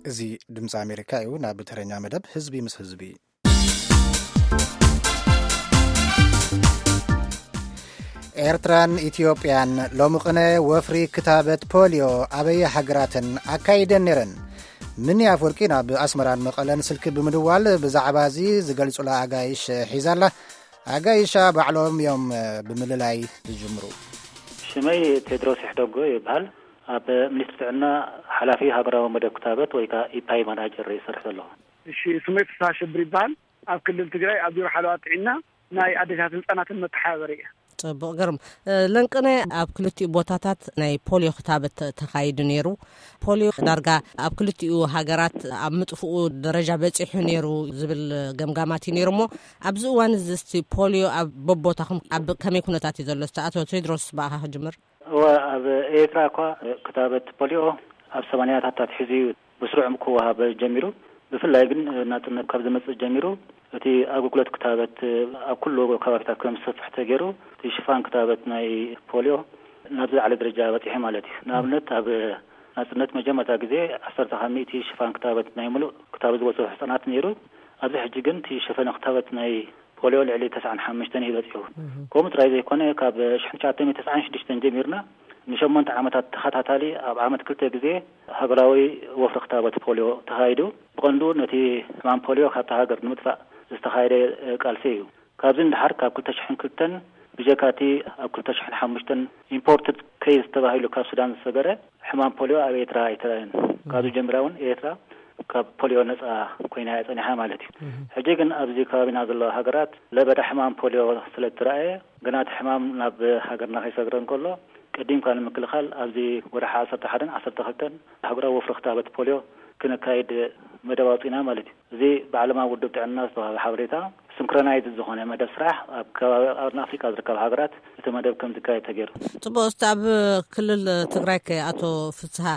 እዚ ድምፂ ኣሜሪካ እዩ። ናብ ተረኛ መደብ ህዝቢ ምስ ህዝቢ። ኤርትራን ኢትዮጵያን ሎሚ ቅነ ወፍሪ ክታበት ፖሊዮ ኣበየ ሃገራተን ኣካይደን ነይረን። ምኒ ኣፍወርቂ ናብ ኣስመራን መቐለን ስልኪ ብምድዋል ብዛዕባ እዚ ዝገልጹላ ኣጋይሽ ሒዛላ። ኣጋይሻ ባዕሎም እዮም ብምልላይ ዝጅምሩ። ሽመይ ቴድሮስ ይሕደጎ ይበሃል። ኣብ ሚኒስትሪ ጥዕና ሓላፊ ሃገራዊ መደብ ክታበት ወይ ከዓ ኢፓይ ማናጀር ይሰርሕ ዘለኹ። እሺ፣ ስመይ ፍስሃ ሽብር ይበሃል። ኣብ ክልል ትግራይ ኣብ ቢሮ ሓለዋ ጥዕና ናይ ኣዴታትን ህፃናትን መተሓባበሪ እየ። ጽቡቕ፣ ግርም። ለንቅነ ኣብ ክልቲኡ ቦታታት ናይ ፖሊዮ ክታበት ተኻይዱ ነይሩ። ፖሊዮ ዳርጋ ኣብ ክልቲኡ ሃገራት ኣብ ምጥፍኡ ደረጃ በጺሑ ነይሩ ዝብል ገምጋማት እዩ ነይሩ። እሞ ኣብዚ እዋን እዚ እስቲ ፖሊዮ ኣብ በቦታኹም ኣብ ከመይ ኩነታት እዩ ዘሎ? እስቲ ኣቶ ቴድሮስ ብኣኻ ክጅምር። እወ፣ ኣብ ኤርትራ እኳ ክታበት ፖሊዮ ኣብ ሰማንያታት ኣትሒዙ እዩ ብስሩዕ ክወሃብ ጀሚሩ። ብፍላይ ግን ናጽነት ካብ ዝመጽእ ጀሚሩ እቲ ኣገልግሎት ክታበት ኣብ ኩሉ ከባቢታት ከም ዝሰፍሕ ተገይሩ፣ እቲ ሽፋን ክታበት ናይ ፖሊዮ ናብ ዝለዓለ ደረጃ በጺሑ ማለት እዩ። ንኣብነት፣ ኣብ ናጽነት መጀመርታ ግዜ ዓሰርተ ካብ ሚእቲ ሽፋን ክታበት ናይ ሙሉእ ክታበት ዝበጽሑ ህጻናት ነይሩ። ኣብዚ ሕጂ ግን እቲ ሸፈነ ክታበት ናይ ፖሊዮ ልዕሊ ተስዓን ሓሙሽተን እዩ በጺሑ። ከምኡ ጥራይ ዘይኮነ፣ ካብ ሽሕን ትሽዓተ ሚእትን ተስዓን ሽዱሽተን ጀሚርና ንሸሞንተ ዓመታት ተኸታታሊ ኣብ ዓመት ክልተ ግዜ ሃገራዊ ወፍሪ ክታበት ፖሊዮ ተኻይዱ። ብቐንዱ ነቲ ሕማም ፖሊዮ ካብታ ሃገር ንምጥፋእ ዝተኻየደ ቃልሲ እዩ። ካብዚ ንደሓር ካብ ክልተ ሽሕን ክልተን ብጀካቲ ኣብ ክልተ ሽሕን ሓሙሽተን ኢምፖርትድ ኬዝ ተባሂሉ ካብ ሱዳን ዝሰገረ ሕማም ፖሊዮ ኣብ ኤርትራ ኣይተራእየን። ካብዚ ጀሚራ እውን ኤርትራ ካብ ፖሊዮ ነጻ ኮይና እያ ጸኒሓ ማለት እዩ። ሕጂ ግን ኣብዚ ከባቢና ዘለዋ ሃገራት ለበዳ ሕማም ፖሊዮ ስለ እትረኣየ፣ ግና እቲ ሕማም ናብ ሃገርና ከይሰግረ እንከሎ፣ ቀዲምካ ንምክልኻል ኣብዚ ወርሒ ዓሰርተ ሓደን ዓሰርተ ክልተን ሃገራዊ ወፍሪ ክታበት ፖሊዮ ክነካይድ መደብ ኣውጺና ማለት እዩ። እዚ ብዓለማዊ ውድብ ጥዕና ዝተዋህበ ሓበሬታ፣ ሲንክሮናይዝ ዝኾነ መደብ ስራሕ ኣብ ከባቢ ኣብ ኣፍሪቃ ዝርከባ ሃገራት እቲ መደብ ከም ዝካየድ ተገይሩ። ጽቡቕ። እስቲ ኣብ ክልል ትግራይ ከ ኣቶ ፍስሃ፣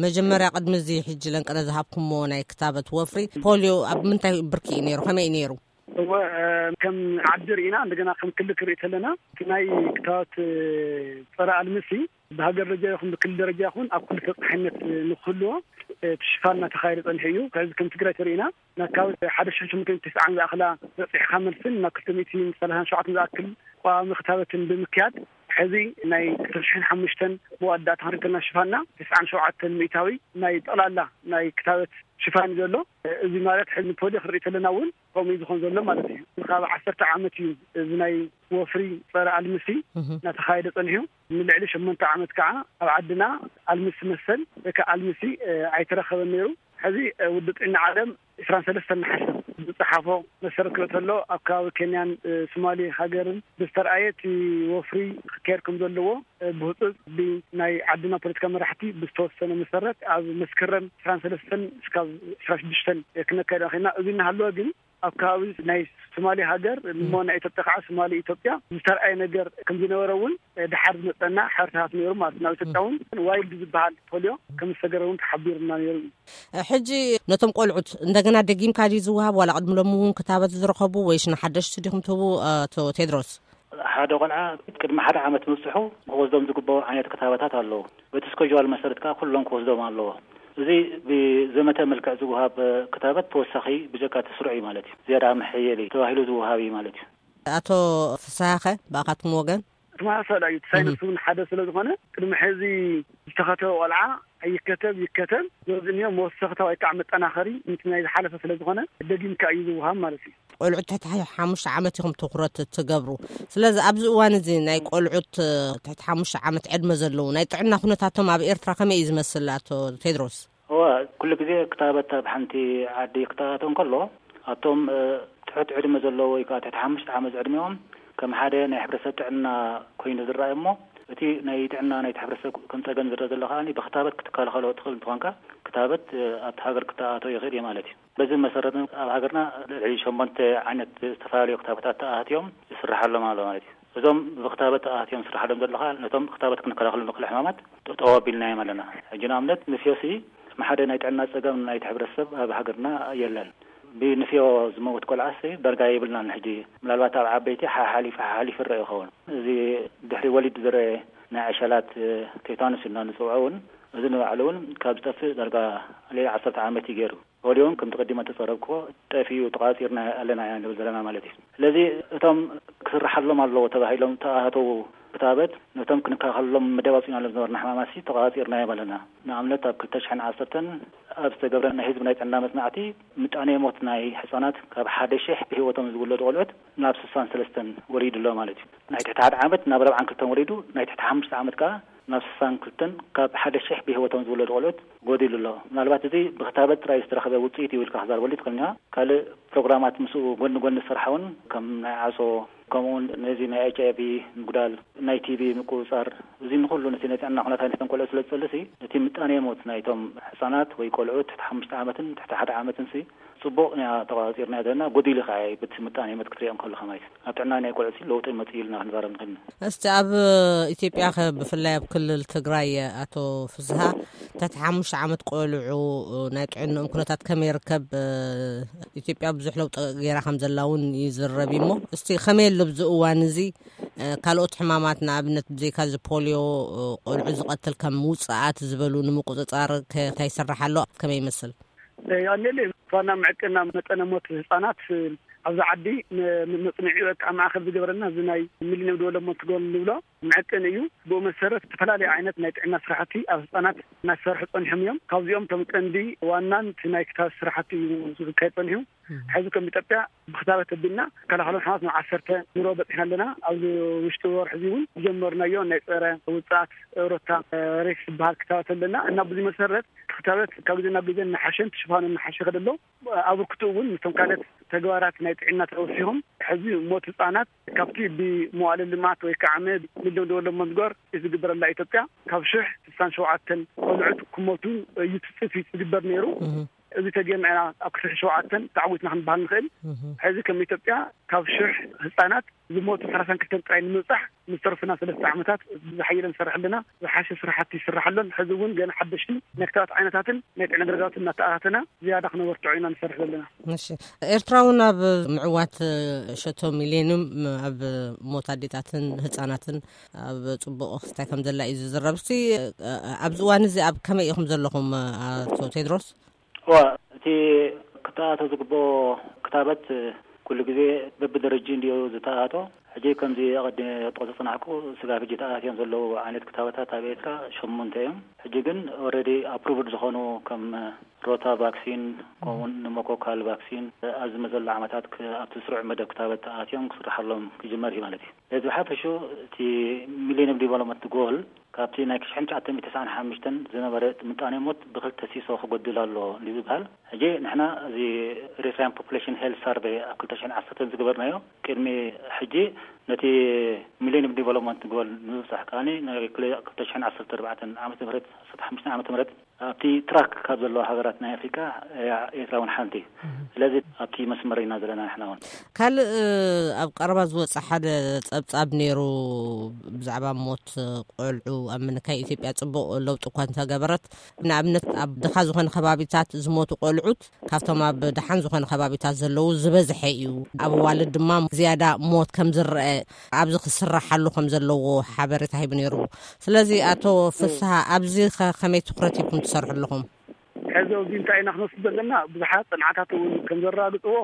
መጀመርያ ቅድሚ እዚ ሕጂ ለንቅነ ዝሃብኩሞ ናይ ክታበት ወፍሪ ፖሊዮ ኣብ ምንታይ ብርኪ እዩ ነይሩ? ከመይ እዩ ነይሩ? እወ፣ ከም ዓዲ ርኢና፣ እንደገና ከም ክልል ክርኢ ከለና፣ እቲ ናይ ክታበት ጸረ ኣልምሲ ብሃገር ደረጃ ይኹን ብክልል ደረጃ ይኹን ኣብ ኩሉ ተብጻሕነት ንክህልዎ እቲ ሽፋን እናተኻየደ ጸኒሑ እዩ። ከዚ ከም ትግራይ ተሪእና፣ ናብ ካብ ሓደ ሽሕን ሽሞንተ ሚእትን ተስዓን ዝኣኽላ በጺሕካ መልስን ናብ ክልተ ሚእትን ሰላሳን ሸውዓተን ዝኣክል ቀዋሚ ክታበትን ብምክያድ፣ ሕዚ ናይ ክልተ ሽሕን ሓሙሽተን መወዳእታ ክንርኢ ከለና ሽፋንና ተስዓን ሸውዓተን ሚእታዊ ናይ ጠቕላላ ናይ ክታበት ሽፋን እዩ ዘሎ። እዚ ማለት ሕዚ ንፖሊዮ ክንርኢ ከለና እውን ከምኡ እዩ ዝኾን ዘሎ ማለት እዩ። ካብ ዓሰርተ ዓመት እዩ እዚ ናይ ወፍሪ ጸረ ኣልምሲ እናተኻየደ ጸኒሑ። ንልዕሊ ሸሞንተ ዓመት ከዓ ኣብ ዓድና ኣልምሲ መሰል ወይ ከዓ ኣልምሲ ኣይተረኸበን ነይሩ። ሕዚ ውድብ ጥዕና ዓለም ዕስራን ሰለስተን ነሓሰ ዝጸሓፎ መሰረት ክርኢ ከሎ፣ ኣብ ከባቢ ኬንያን ሶማሌ ሃገርን ብዝተረኣየ እቲ ወፍሪ ክካየድ ከም ዘለዎ ብህፁፅ ብናይ ዓድና ፖለቲካ መራሕቲ ብዝተወሰነ መሰረት ኣብ መስከረም ዕስራን ሰለስተን እስካብ ዕስራን ሽዱሽተን ክነካየድ ኽኢልና። እዚ እናሃለወ ግን ኣብ ከባቢ ናይ ሶማሌ ሃገር እሞ ናይ ኢትዮጵያ ከዓ ሶማሌ ኢትዮጵያ ዝተረኣየ ነገር ከም ዝነበረ እውን ድሓር ዝመፀና ሓበሬታታት ነይሩ ማለት እዩ። ናብ ኢትዮጵያ እውን ዋይልድ ዝበሃል ፖሊዮ ከም ዝሰገረ እውን ተሓቢሩና ነይሩ እዩ። ሕጂ ነቶም ቆልዑት እንደገና ደጊምካ ድዩ ዝወሃብ ዋላ ቅድሚ ሎሚ እውን ክታበት ዝረኸቡ ወይስ ንሓደሽቲ ዲኹም ትህቡ? ኣቶ ቴድሮስ። ሓደ ቆልዓ ቅድሚ ሓደ ዓመት ምብፅሑ ክወስዶም ዝግበኦ ዓይነት ክታበታት ኣለዉ። በቲ ስኮጅዋል መሰረት ከዓ ኩሎም ክወስዶም ኣለዎ። እዚ ብዘመተ መልክዕ ዝወሃብ ክታበት ተወሳኺ ብጀካ እቲ ስሩዕ እዩ ማለት እዩ። ዝያዳ መሐየሊ ተባሂሉ ዝወሃብ እዩ ማለት እዩ። ኣቶ ፍስሃኸ ብኣኻትኩም ወገን? ተመሳሳሊ እዩ። እቲ ሳይንስ እውን ሓደ ስለ ዝኾነ ቅድሚ ሕዚ ዝተኸተበ ቆልዓ ኣይከተብ ይከተብ፣ ነዚ እኒኦ መወሰኽታ ወይ ከዓ መጠናኸሪ ነቲ ናይ ዝሓለፈ ስለ ዝኾነ ደጊምካ እዩ ዝወሃብ ማለት እዩ። ቆልዑት ትሕቲ ሓ-፣ ሓሙሽተ ዓመት ኢኹም ትኹረት ትገብሩ። ስለዚ ኣብዚ እዋን እዚ ናይ ቆልዑት፣ እ፣ ትሕቲ ሓሙሽተ ዓመት ዕድመ ዘለዉ ናይ ጥዕና ኩነታቶም ኣብ ኤርትራ ከመይ እዩ ዝመስል ኣቶ ቴድሮስ? እወ፣ ኩሉ ግዜ ክታበት ኣብ ሓንቲ ዓዲ ክተኣታቶ እንከሎ፣ ኣብቶም፣ እ፣ ትሑት ዕድመ ዘለዉ ወይ ከዓ ትሕቲ ሓሙሽተ ዓመት ዕድሚኦም ከም ሓደ ናይ ሕብረተሰብ ጥዕና ኮይኑ ዝረኣይ እሞ፣ እቲ ናይ ጥዕና ናይቲ ሕብረተሰብ ከም ጸገም ዝረአ ዘሎ ከኣ ብክታበት ክትከላኸሎ ትኽእል እንተኾንካ፣ ክታበት፣ እ፣ ኣብቲ ሃገር ክተኣታቶ ይኽእል እዩ ማለት እዩ። በዚ መሰረት ኣብ ሃገርና ልዕሊ ሸሞንተ ዓይነት ዝተፈላለዩ ክታበታት ተኣህትዮም ይስርሓሎም ኣሎ ማለት እዩ። እዞም ብክታበት ተኣህትዮም ዝስርሓሎም ዘለኻ ነቶም ክታበት ክንከላኸሎም ንኽእል ሕማማት ጠጠው ኣቢልናዮም ኣለና። ሕጂ ንኣብነት ንፍዮሲ ከም ሓደ ናይ ጥዕና ጸገም ናይቲ ሕብረተሰብ ኣብ ሃገርና የለን። ብንፍዮ ዝመውት ቆልዓሲ ዳርጋ የብልናን። ሕጂ ምናልባት ኣብ ዓበይቲ ሓሓሊፉ ሓሓሊፉ ይረአ ይኸውን። እዚ ድሕሪ ወሊድ ዝረአ ናይ ዕሸላት ቴታኑስ ኢልና ንፅውዖ እውን፣ እዚ ንባዕሉ እውን ካብ ዝጠፍእ ዳርጋ ልዕሊ ዓሰርተ ዓመት እዩ ገይሩ። ፖሊዮ እውን ከምቲ ቀዲመ ተፀረብክዎ ጠፊኡ፣ ተቋፂርና ኣለና ኢና ንብል ዘለና ማለት እዩ። ስለዚ እቶም ክስርሓሎም ኣለዎ ተባሂሎም ተኣተዉ ክታበት፣ ነቶም ክንከላኸለሎም መደብ ኣውፂእናሎም ዝነበርና ሕማማት ሲ ተቋፂርናዮም ኣለና። ንኣብነት ኣብ ክልተ ሽሕን ዓሰርተን ኣብ ዝተገብረ ናይ ህዝቢ ናይ ጥዕና መፅናዕቲ፣ ምጣኔ ሞት ናይ ህፃናት ካብ ሓደ ሽሕ ብህይወቶም ዝውለዱ ቆልዑት ናብ ስሳን ሰለስተን ወሪዱ ኣሎ ማለት እዩ። ናይ ትሕቲ ሓደ ዓመት ናብ ኣርባዓን ክልተን ወሪዱ፣ ናይ ትሕቲ ሓሙሽተ ዓመት ከዓ ናብ ስሳን ክልተን ካብ ሓደ ሽሕ ብህይወቶም ዝውለዱ ቆልዑት ጎዲሉ ኣሎ። ምናልባት እዚ ብክታበት ጥራይ ዝተረኸበ ውፅኢት እዩ ኢልካ ክዛርበሉ ትኽእል ኢኻ። ካልእ ፕሮግራማት ምስኡ ጎኒ ጎኒ ዝሰርሓ እውን ከም ናይ ዓሶ፣ ከምኡ እውን ነዚ ናይ ኤች ኣይ ቪ ምጉዳል፣ ናይ ቲ ቢ ምቁፅፃር፣ እዚ ንኩሉ ነቲ ናይ ጥዕና ኩነታት ናይቶም ቆልዑት ስለ ዝፅልሲ፣ ነቲ ምጣኔ ሞት ናይቶም ህፃናት ወይ ቆልዑት ትሕቲ ሓሙሽተ ዓመትን ትሕቲ ሓደ ዓመትን ሲ ፅቡቕ ኢና ተቋፂርና ዘለና፣ ጎዲሉ ከዓ እዩ በቲ ምጣኔ ሞት ክትሪኦም ከለኻ ማለት እዩ። ኣብ ጥዕና ናይ ቆልዑት ሲ ለውጢ መፅእ ኢልና ክንዛረብ ንኽእል ኢና። እስቲ ኣብ ኢትዮጵያ ከ ብፍላይ ኣብ ክልል ትግራይ ኣቶ ፍስሃ ትሕቲ ሓሙሽተ ዓመት ቆልዑ ናይ ጥዕንኦም ኩነታት ከመይ ይርከብ? ኢትዮጵያ ብዙሕ ለውጢ ገይራ ከም ዘላ እውን ይዝረብ እዩ። እሞ እስቲ ከመይ ኣሎ ኣብዚ እዋን እዚ ካልኦት ሕማማት ንኣብነት ብዘይካ እዚ ፖሊዮ ቆልዑ ዝቐትል ከም ውፅኣት ዝበሉ ንምቁፅፃር ከ እንታይ ይስራሕ ኣሎ? ከመይ ይመስል? ኣኔሌ ዋና ምዕቅና መጠነ ሞት ህፃናት ኣብዚ ዓዲ መፅንዒ በቃ ማእኸል ዝገበረና እዚ ናይ ሚሊኒየም ዲቨሎፕመንት ጎል ንብሎ ምዕቅን እዩ። ብኡ መሰረት ዝተፈላለዩ ዓይነት ናይ ጥዕና ስራሕቲ ኣብ ህፃናት እናሰርሑ ፀኒሖም እዮም። ካብዚኦም እቶም ቀንዲ ዋናን እቲ ናይ ክታበት ስራሕቲ እዩ ዝካየድ ፀኒሑ። ሕዚ ከም ኢትዮጵያ ብክታበት ኣቢልና ከላኸሎም ሕማማት ናብ ዓሰርተ ኑሮ በፂሕና ኣለና። ኣብዚ ውሽጢ ወርሒ እዚ እውን ዝጀመርናዮ ናይ ፀረ ውፅኣት ሮታ ሬክስ ዝበሃል ክታበት ኣለና እና ብዙ መሰረት ክታበት ካብ ግዜ ናብ ግዜ እናሓሸን ሽፋኑ እናሓሸ ይኸድ ኣሎ። ኣበርክቶ እውን ምስቶም ካልኦት ተግባራት ናይ ጥዕና ተወሲኹም ሕዚ ሞት ህፃናት ካብቲ ብመዋለ ልማት ወይ ከዓ ሚሊዮን ዲቨሎፕመንት ጎል ዝግበረላ ኢትዮጵያ ካብ ሽሕ ስሳን ሸውዓተን ቆልዑት ክሞቱ እዩ ትፅቢት ዝግበር ነይሩ። እዚ ተገይርና ኢና ኣብ ክልተ ሽሕ ሸውዓተን ተዓዊትና ክንበሃል ንኽእል። ሕዚ ከም ኢትዮጵያ ካብ ሽሕ ህፃናት ዝሞቱ ሰላሳን ክልተን ጥራይ ንምብፃሕ ንዝተረፉና ሰለስተ ዓመታት ብዝሓየለ ንሰርሕ ኣለና። ዝሓሸ ስራሕቲ ይስራሕ ኣሎን ሕዚ እውን ገና ሓደሽቲ ናይ ክታበት ዓይነታትን ናይ ጥዕና ኣገልግሎትን እናተኣታተና ዝያዳ ክነበርትዖ ኢና ንሰርሕ ዘለና። እሺ፣ ኤርትራ እውን ኣብ ምዕዋት ሸቶ ሚሊዮንም ኣብ ሞት ኣዴታትን ህፃናትን ኣብ ፅቡቕ ክስታይ ከም ዘላ እዩ ዝዝረብ። እስቲ ኣብዚ እዋን እዚ ኣብ ከመይ ኢኹም ዘለኹም ኣቶ ቴድሮስ? እዋ፣ እቲ ክተኣቶ ዝግብኦ ክታበት ኩሉ ግዜ በብደረጅኡ እንድዩ ዝተኣቶ። ሕጂ ከምዚ ኣቐዲመ ጥቕሲ ዝጸናሕኩ ስጋብ ሕጂ ተኣትዮም ዘለዉ ዓይነት ክታበታት ኣብ ኤርትራ ሸሞንተ እዮም። ሕጂ ግን ኦረዲ ኣፕሩቭድ ዝኾኑ ከም ሮታ ቫክሲን ከምኡውን ንሞኮካል ቫክሲን ኣብዚ መዘሎ ዓመታት ክ- ኣብቲ ስሩዕ መደብ ክታበት ተኣትዮም ክስርሓሎም ክጅመር እዩ ማለት እዩ። ነዚ ብሓፈሹ እቲ ሚሌኒየም ዲቨሎፕመንት ጎል ካብቲ ናይ ሽሕን ትሽዓተ ሚእትን ተስዓን ሓሙሽተን ዝነበረ ምጣኔ ሞት ብክልተ ሲሶ ክጎድል ኣለዎ ንዝበሃል፣ ሕጂ ንሕና እዚ ኤሪትራያን ፖፑሌሽን ሄልት ሳርቬይ ኣብ ክልተ ሽሕን ዓሰርተን ዝገበርናዮ ቅድሚ ሕጂ ነቲ ሚሌኒየም ዲቨሎፕመንት ጎል ንምብጻሕ ከኣ ናይ ክልተ ሽሕን ዓሰርተ ኣርባዕተን ዓመተ ምህረት ዓሰርተ ሓሙሽተ ዓመተ ምህረት ኣብቲ ትራክ ካብ ዘለዋ ሃገራት ናይ ኣፍሪካ እያ ኤርትራ እውን ሓንቲ። ስለዚ ኣብቲ መስመር ኢና ዘለና ንሕና እውን። ካልእ ኣብ ቀረባ ዝወፀ ሓደ ፀብፃብ ነይሩ ብዛዕባ ሞት ቆልዑ ኣብ ምንካይ ኢትዮጵያ ፅቡቕ ለውጢ እኳ እንተገበረት፣ ንኣብነት ኣብ ድኻ ዝኾነ ከባቢታት ዝሞቱ ቆልዑት ካብቶም ኣብ ደሓን ዝኾነ ከባቢታት ዘለዉ ዝበዝሐ እዩ። ኣብ ኣዋልድ ድማ ዝያዳ ሞት ከም ዝረአ ኣብዚ ክስራሓሉ ከም ዘለዎ ሓበሬታ ሂቡ ነይሩ። ስለዚ ኣቶ ፍስሃ ኣብዚ ከ ከመይ ትኹረት ሂብኩም ትሰርሑ ኣለኹም? ሕዚ ኣብዚ እንታይ ኢና ክንወስድ ዘለና? ብዙሓት ፅንዓታት እውን ከም ዘረጋግፅዎ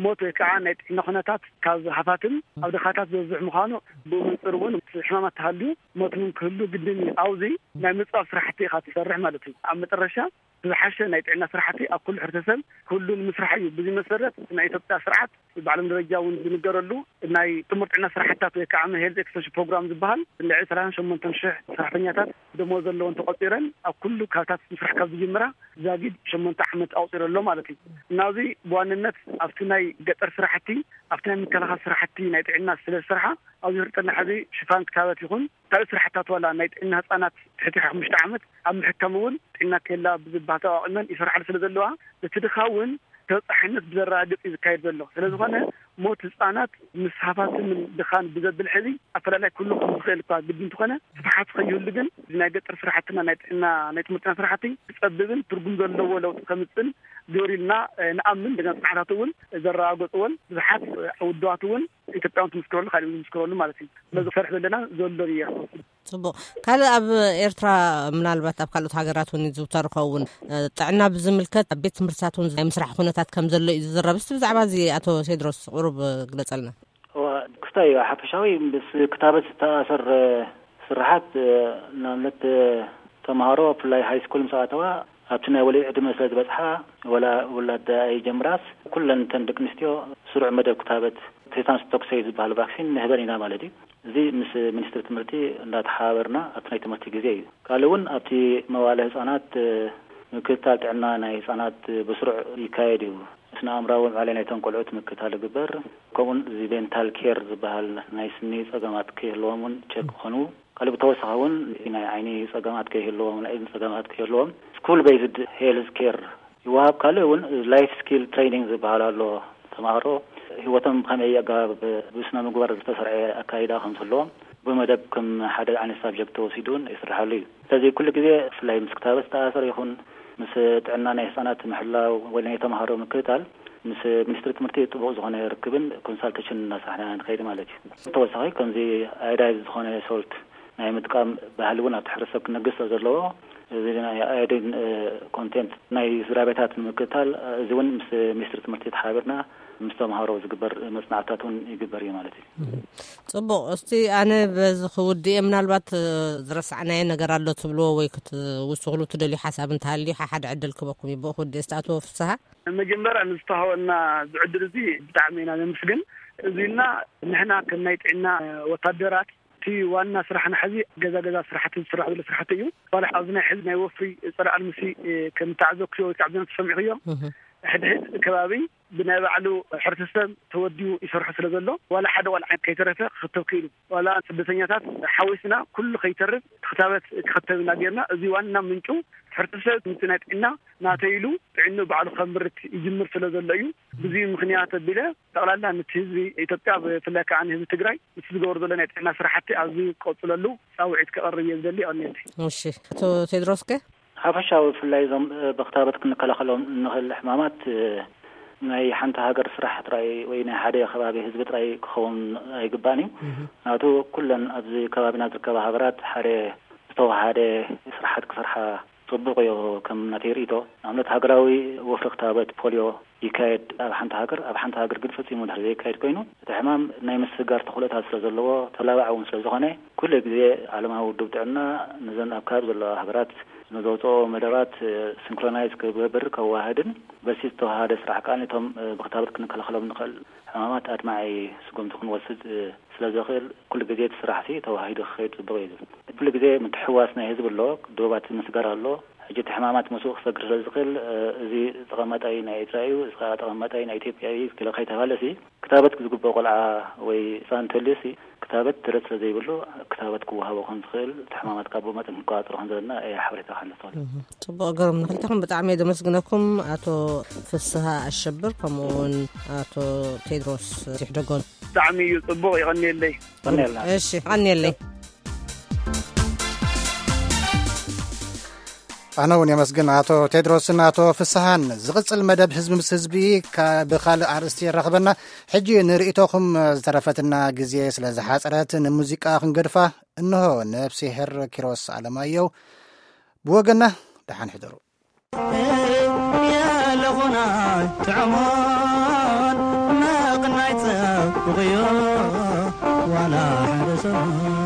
ሞት ወይ ከዓ ናይ ጥዕና ኩነታት ካብ ሃፋትም ኣብ ድኻታት ዝበዝሕ ምዃኑ ብኡ መንፅር እውን ሕማማት ተሃልዩ ሞት እውን ክህሉ ግድን እዩ። ኣብዚ ናይ ምፅባብ ስራሕቲ ኢኻ ትሰርሕ ማለት እዩ። ኣብ መጠረሻ ዝሓሸ ናይ ጥዕና ስራሕቲ ኣብ ኩሉ ሕብረተሰብ ክህሉ ንምስራሕ እዩ። ብዚ መሰረት ናይ ኢትዮጵያ ስርዓት ብዓለም ደረጃ እውን ዝንገረሉ ናይ ጥሙር ጥዕና ስራሕትታት ወይ ከዓ ሄልዝ ኤክስቴንሽን ፕሮግራም ዝበሃል ልዕሊ ሰላሳን ሸሞንተን ሽሕ ሰራሕተኛታት ደሞዝ ዘለወን ተቆፂረን ኣብ ኩሉ ካብታት ምስራሕ ካብ ዝጅምራ ዛጊድ ሸሞንተ ዓመት ኣቁፂሩ ኣሎ ማለት እዩ። እናዚ ብዋንነት ኣብቲ ናይ ገጠር ስራሕቲ ኣብቲ ናይ ምክልኻል ስራሕቲ ናይ ጥዕና ስለ ዝሰርሓ ኣብዚ ፍርጠና ሕዚ ሽፋን ክታበት ይኹን ካልእ ስራሕታት ዋላ ናይ ጥዕና ህፃናት ትሕቲ ሓሙሽተ ዓመት ኣብ ምሕካም እውን ጥዕና ኬላ ብዝባህ ተቋቂመን ይሰርሓሉ ስለ ዘለዋ እቲ ድኻ እውን ተበፃሕነት ብዘረጋግፅ እዩ ዝካየድ ዘሎ። ስለዝኾነ ሞት ህፃናት ምስ ሃፋትምን ድኻን ብዘብል ሕዚ ኣፈላላይ ክህሉ ከም ዝኽእል እኳ ግዲ እንተኾነ፣ ስፍሓት ከይህሉ ግን ናይ ገጠር ስራሕትና፣ ናይ ጥዕና፣ ናይ ትምህርትና ስራሕቲ ክፀብብን ትርጉም ዘለዎ ለውጢ ከምፅእን ግብር ኢልና ንኣምን። ደገና ፅንዓታት እውን ዘረጋገፅዎን ብዙሓት ውድባት እውን ኢትዮጵያውን ትምስክረሉ፣ ካልእ እውን ዝምስክረሉ ማለት እዩ። ስለዚ ክሰርሕ ዘለና ዘሎ ይርኩ። ጽቡቕ። ካልእ ኣብ ኤርትራ፣ ምናልባት ኣብ ካልኦት ሃገራት እውን ይዝውተር ይኸውን፣ ጥዕና ብዝምልከት ኣብ ቤት ትምህርትታት እውን ናይ ምስራሕ ኩነታት ከም ዘሎ እዩ ዝዝረብ። እስቲ ብዛዕባ እዚ ኣቶ ቴድሮስ ቁሩብ ግለጸልና። እዋ፣ ክስታይ እዩ። ሓፈሻዊ ምስ ክታበት ዝተኣሰር ስርሓት፣ ንኣብነት ተምሃሮ ብፍላይ ሃይ ስኩል ምስ ኣተዋ ኣብቲ ናይ ወሊድ ዕድመ ስለ ዝበጽሓ፣ ወላ ውላድ ኣይጀምራስ፣ ኩለን እተን ደቂ ኣንስትዮ ስሩዕ መደብ ክታበት ቴታንስ ቶክሰይ ዝበሃል ቫክሲን ንህበን ኢና ማለት እዩ። እዚ ምስ ሚኒስትሪ ትምህርቲ እንዳተሓባበርና ኣብቲ ናይ ትምህርቲ ግዜ እዩ። ካልእ እውን ኣብቲ መዋለ ህፃናት ምክትታል ጥዕና ናይ ህፃናት ብስሩዕ ይካየድ እዩ። ስነ ኣእምራዊ ምዕባለ ናይቶም ቆልዑት ምክትታል ይግበር። ከምኡውን እዚ ዴንታል ኬር ዝበሃል ናይ ስኒ ፀገማት ከይህልዎም እውን ቸክ ክኾኑ፣ ካልእ ብተወሳኺ እውን ናይ ዓይኒ ፀገማት ከይህልዎም፣ ናይ እዝኒ ፀገማት ከይህልዎም ስኩል ቤዝድ ሄልዝ ኬር ይወሃብ። ካልእ እውን ላይፍ ስኪል ትሬኒንግ ዝበሃል ኣሎ። ተምሃሮ ህይወቶም ብኸመይ ኣገባብ ብስነ ምግባር ዝተሰርዐ ኣካይዳ ከም ዝህልዎም ብመደብ ከም ሓደ ዓይነት ሳብጀክት ተወሲዱ እውን ይስርሓሉ እዩ። ስለዚ ኩሉ ግዜ ብፍላይ ምስ ክታበት ዝተኣሰር ይኹን ምስ ጥዕና ናይ ህፃናት ምሕላው ወይ ናይ ተምሃሮ ምክትታል ምስ ሚኒስትሪ ትምህርቲ ጥቡቕ ዝኾነ ርክብን ኮንሳልቴሽን እናሳሕና ንኸይድ ማለት እዩ። ተወሳኺ ከምዚ ኣዮዳይዝ ዝኾነ ሶልት ናይ ምጥቃም ባህሊ እውን ኣብቲ ሕብረተሰብ ክነግስ ስለ ዘለዎ፣ እዚ ናይ ኣዮዲን ኮንቴንት ናይ ስድራ ቤታት ንምክትታል፣ እዚ እውን ምስ ሚኒስትሪ ትምህርቲ ተሓቢርና ምስ ተምሃሮ ዝግበር መጽናዕትታት እውን ይግበር እዩ ማለት እዩ። ጽቡቕ። እስቲ ኣነ በዚ ክውድእ እየ፣ ምናልባት ዝረሳዕናዮ ነገር ኣሎ ትብልዎ ወይ ክትውስኽሉ ትደልዩ ሓሳብ እንተሃልዩ ሓሓደ ዕድል ክበኩም እዩ። ብኡ ክውድእ። እስቲ ኣቶ ፍስሃ። መጀመርያ ንዝተዋህበና ዝዕድል እዚ ብጣዕሚ ኢና ነመስግን። እዚና ንሕና ከም ናይ ጥዕና ወታደራት እቲ ዋና ስራሕና ሕዚ ገዛ ገዛ ስራሕቲ ዝስራሕ ዘሎ ስራሕቲ እዩ። ዋላ ኣብዚ ናይ ሕዚ ናይ ወፍሪ ጸረ ኣልምሲ ከም ተዓዘብክዮ ወይ ከዓ ብዘን ተሰሚዕክዮ፣ ሕድሕድ ከባቢ ብናይ ባዕሉ ሕብረተሰብ ተወዲቡ ይሰርሑ ስለ ዘሎ ዋላ ሓደ ቆልዓ ከይተረፈ ክኽተብ ክኢሉ። ዋላ ስደተኛታት ሓዊስና ኩሉ ከይተርፍ ክታበት ክኽተብ ኢና ጌርና። እዚ ዋና ምንጩ ሕብረተሰብ ምስቲ ናይ ጥዕና ናተይ ኢሉ ጥዕንኡ ባዕሉ ከምርት ይጅምር ስለ ዘሎ እዩ። ብዙ ምኽንያት ኣቢለ ጠቕላላ ነቲ ህዝቢ ኢትዮጵያ ብፍላይ ከዓ ንህዝቢ ትግራይ ምስ ዝገበሩ ዘሎ ናይ ጥዕና ስራሕቲ ኣብዚ ቀፅለሉ ፃውዒት ከቕርብ እየ ዝደሊ። ይቐንየለይ። እሺ፣ ኣቶ ቴድሮስ ከ? ሓፈሻዊ ብፍላይ እዞም ብክታበት ክንከላኸሎም እንኽእል ሕማማት ናይ ሓንቲ ሃገር ስራሕ ጥራይ ወይ ናይ ሓደ ከባቢ ህዝቢ ጥራይ ክኸውን ኣይግባእን እዩ። ምክንያቱ ኩለን ኣብዚ ከባቢና ዝርከባ ሃገራት ሓደ ዝተዋሃደ ስራሓት ክሰርሓ ጽቡቕ እዩ። ከም ናተይ ርእይቶ ንኣብነት ሃገራዊ ወፍሪ ክታበት ፖልዮ ይካየድ ኣብ ሓንቲ ሃገር፣ ኣብ ሓንቲ ሃገር ግን ፈጺሙ ድሕሪ ዘይካየድ ኮይኑ እቲ ሕማም ናይ ምስጋር ተኽእሎታት ስለ ዘለዎ ተላባዕ እውን ስለ ዝኾነ ኩሉ ግዜ ዓለማዊ ውድብ ጥዕና ነዘን ኣብ ከባቢ ዘለዋ ሃገራት ንዘውፅኦ መደባት ሲንክሮናይዝ ክገብር ከዋህድን በዚ ዝተዋሃደ ስራሕ ከዓ ነቶም ብክታበት ክንከላኸሎም ንኽእል ሕማማት ኣድማዒ ስጉምቲ ክንወስድ ስለ ዘኽእል ኩሉ ግዜ እቲ ስራሕ ሲ ተዋሂዱ ክኸይድ ጽቡቕ እዩ ዝብል። ኩሉ ግዜ ምትሕዋስ ናይ ህዝቢ ኣሎ፣ ዶባት ምስጋር ኣሎ። ሕጂ እቲ ሕማማት ምስኡ ክሰግር ስለ ዝኽእል እዚ ተቐማጣይ ናይ ኤርትራ እዩ፣ እዚ ከዓ ተቐማጣይ ናይ ኢትዮጵያ እዩ ኢለ ከይተባለ ሲ ክታበት ዝግብኦ ቆልዓ ወይ ህፃን እንተልዩ ሲ ክታበት ደረት ስለ ዘይብሉ ክታበት ክወሃቦ ከም ዝኽእል እቲ ሕማማት ካብ መጠን ክንቆፃፀሮ ከም ዘለና እየ ሓበሬታ ክሕልፍ። ጽቡቕ ገርም፣ ንክልተኹም ብጣዕሚ እየ ደመስግነኩም፣ ኣቶ ፍስሃ ኣሸብር ከምኡ እውን ኣቶ ቴድሮስ ይሕደጎን። ብጣዕሚ እዩ ጽቡቕ፣ ይቐንየለይ። ቀንየልና። እሺ፣ ቀንየለይ። ኣነ እውን የመስግን ኣቶ ቴድሮስን ኣቶ ፍስሃን። ዝቕጽል መደብ ህዝቢ ምስ ህዝቢ ካ-፣ ብኻልእ ኣርእስቲ የራኽበና። ሕጂ ንርእይቶኹም ዝተረፈትና ግዜ ስለ ዝሓጸረት ንሙዚቃ ክንገድፋ እንሆ። ነፍሲሄር ኪሮስ ኣለማየሁ ብወገና ደሓን ሕደሩ። የለኹና ጥዕሞን መቕናይ ጸብቕዮ ዋላ ሓደ ሰሙን።